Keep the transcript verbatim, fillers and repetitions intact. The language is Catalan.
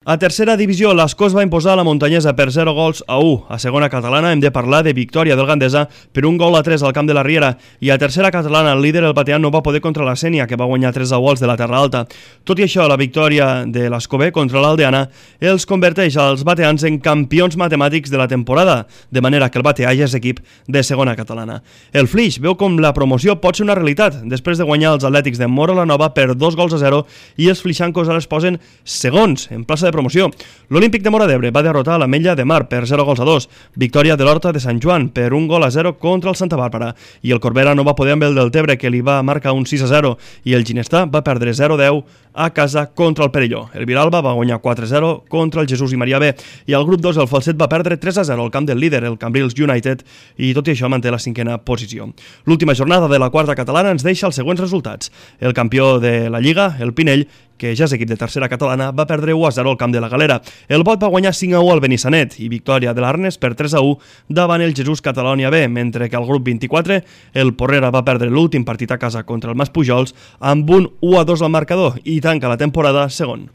A tercera divisió, l'Escós va imposar la Muntanyesa per zero gols a u. A segona catalana hem de parlar de victòria del Gandesa per un gol a tres al camp de la Riera. I a tercera catalana, el líder, el Batean, no va poder contra la Sénia, que va guanyar tres a u als de la Terra Alta. Tot i això, la victòria de l'Escobé contra l'Aldeana els converteix als bateans en campions matemàtics de la temporada, de manera que el Bateà ja és equip de segona catalana. El Flix veu com la promoció pot ser una realitat, després de guanyar els Atlètics de Móra la Nova per dos gols a zero i els flixancos ara es posen segons en plaça de promoció. L'Olímpic de Móra d'Ebre va derrotar l'Ametlla de Mar per zero gols a dos, victòria de l'Horta de Sant Joan per un gol a zero contra el Santa Bàrbara, i el Corbera no va poder amb el del Tebre, que li va marcar un sis a zero, i el Ginestà va perdre zero a deu a casa contra el Perelló. El Vilalba va guanyar quatre a zero contra el Jesús i Maria B, i el grup dos, el Falset, va perdre tres a zero al camp del líder, el Cambrils United, i tot i això manté la cinquena posició. L'última jornada de la quarta catalana ens deixa els següents resultats. El campió de la Lliga, el Pinell, que ja és equip de tercera catalana, va perdre u a zero al camp de la Galera. El Bot va guanyar cinc a u al Benissanet i victòria de l'Arnes per tres a u davant el Jesús Catalònia B, mentre que al grup vint-i-quatre el Porrera va perdre l'últim partit a casa contra el Maspujols amb un u a dos al marcador i tanca la temporada segon.